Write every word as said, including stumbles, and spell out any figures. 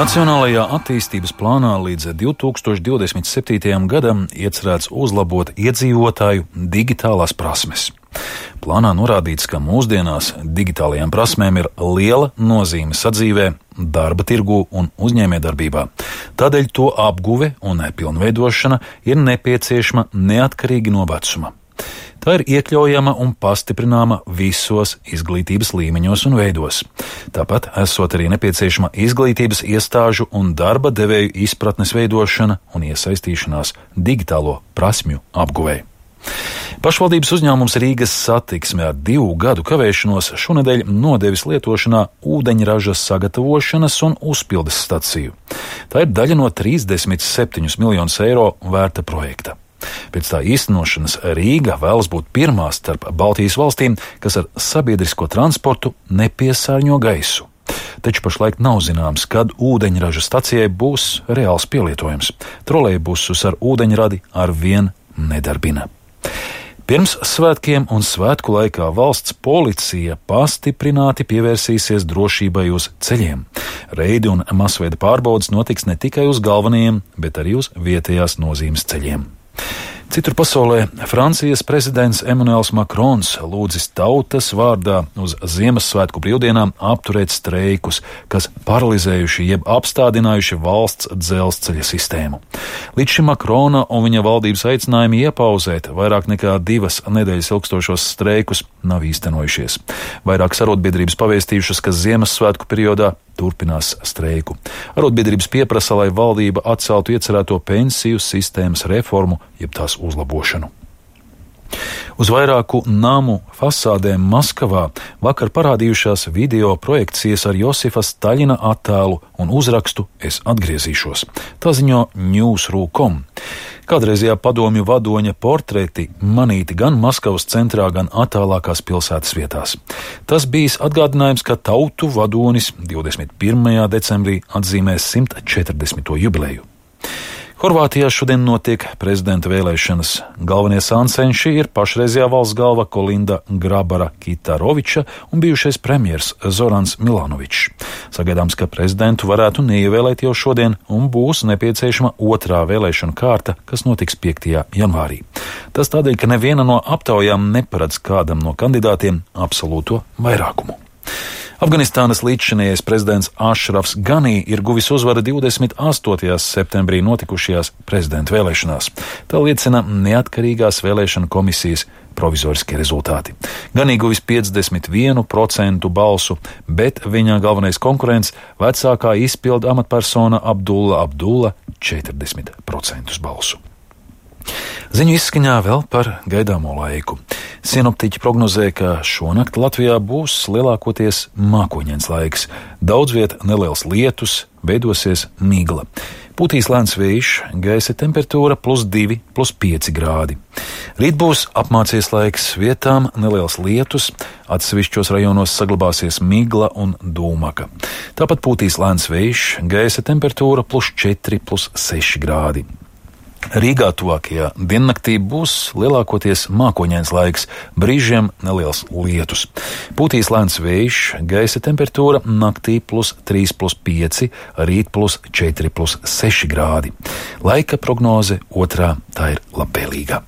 Nacionālajā attīstības plānā līdz divi tūkstoši divdesmit septītajam gadam iecerēts uzlabot iedzīvotāju digitālās prasmes. Plānā norādīts, ka mūsdienās digitālajām prasmēm ir liela nozīme sadzīvē, darba tirgū un uzņēmējdarbībā. Tādēļ to apguve un pilnveidošana ir nepieciešama neatkarīgi no vecuma. Tā ir iekļaujama un pastiprināma visos izglītības līmeņos un veidos. Tāpat esot arī nepieciešama izglītības iestāžu un darba devēju izpratnes veidošana un iesaistīšanās digitālo prasmju apguvei. Pašvaldības uzņēmums Rīgas Satiksme ar divu gadu kavēšanos šonedēļ nodevis lietošanā ūdeņraža sagatavošanas un uzpildes staciju. Tā ir daļa no trīsdesmit septiņus miljonus eiro vērta projekta. Pēc tā īstenošanas Rīga vēlas būt pirmā starp Baltijas valstīm, kas ar sabiedrisko transportu nepiesārņo gaisu. Taču pašlaik nav zināms, kad ūdeņraža stacijai būs reāls pielietojums. Trolejbusus ar ūdeņradi ar vien nedarbina. Pirms svētkiem un svētku laikā valsts policija pastiprināti pievērsīsies drošībai uz ceļiem. Reidi un masveida pārbaudes notiks ne tikai uz galvenajiem, bet arī uz vietējās nozīmes ceļiem. Citur pasaulē Francijas prezidents Emmanuels Macrons lūdzis tautas vārdā uz Ziemassvētku brīvdienām apturēt streikus, kas paralizējuši jeb apstādinājuši valsts dzelzceļa sistēmu. Līdz šim Macrona un viņa valdības aicinājumi iepauzēt vairāk nekā divas nedēļas ilgstošos streikus nav īstenojušies. Vairākas arotbiedrības pavēstījušas, ka Ziemassvētku periodā turpinās streiku. Arotbiedrības pieprasa, lai valdība atceltu iecerēto pensiju sistēmas reformu, jeb tās uzlabošanu. Uz vairāku namu fasādēm Maskavā vakar parādījušās video projekcijas ar Josifa Staļina attēlu un uzrakstu "Es atgriezīšos". Tā ziņo Newsru punktu com. Kādreizajā padomju vadoņa portreti manīti gan Maskavas centrā, gan attālākās pilsētas vietās. Tas bijis atgādinājums, ka tautu vadonis divdesmit pirmajā decembrī atzīmēs simt četrdesmito jubileju. Horvātijā šodien notiek prezidenta vēlēšanas. Galvenie sāncenši ir pašreizējā valsts galva Kolinda Grabara-Kitaroviča un bijušais premjers Zorans Milanovičs. Sagaidāms, ka prezidentu varētu neievēlēt jau šodien un būs nepieciešama otrā vēlēšana kārta, kas notiks piektajā janvārī. Tas tādēļ, ka neviena no aptaujām neparedz kādam no kandidātiem absolūto vairākumu. Afganistānas līdzšinējais prezidents Ašrafs Ganī ir guvis uzvaru divdesmit astotajā septembrī notikušajās prezidenta vēlēšanās. Tā liecina neatkarīgās vēlēšana komisijas provizoriskie rezultāti. Ganī guvis piecdesmit vienu procentu balsu, bet viņa galvenais konkurents vecākā izpildu amatpersona Abdulla Abdulla četrdesmit procentus balsu. Ziņu izskaņā vēl par gaidāmo laiku. Sinoptiķi prognozē, ka šonakt Latvijā būs lielākoties mākoņains laiks. Daudz viet neliels lietus, veidosies migla. Pūtīs lēns vējš, gaisa temperatūra plus divi, plus pieci grādi. Rīt būs apmācies laiks, vietām neliels lietus, atsevišķos rajonos saglabāsies migla un dūmaka. Tāpat pūtīs lēns vējš, gaisa temperatūra plus četri, plus seši grādi. Rīgā tuvākajā diennaktī būs lielākoties mākoņains laiks, brīžiem neliels lietus. Pūtīs lēns vējš, gaisa temperatūra naktī plus trīs, plus pieci, rīt plus četri, plus seši grādi. Laika prognoze otrā, tā ir labvēlīga.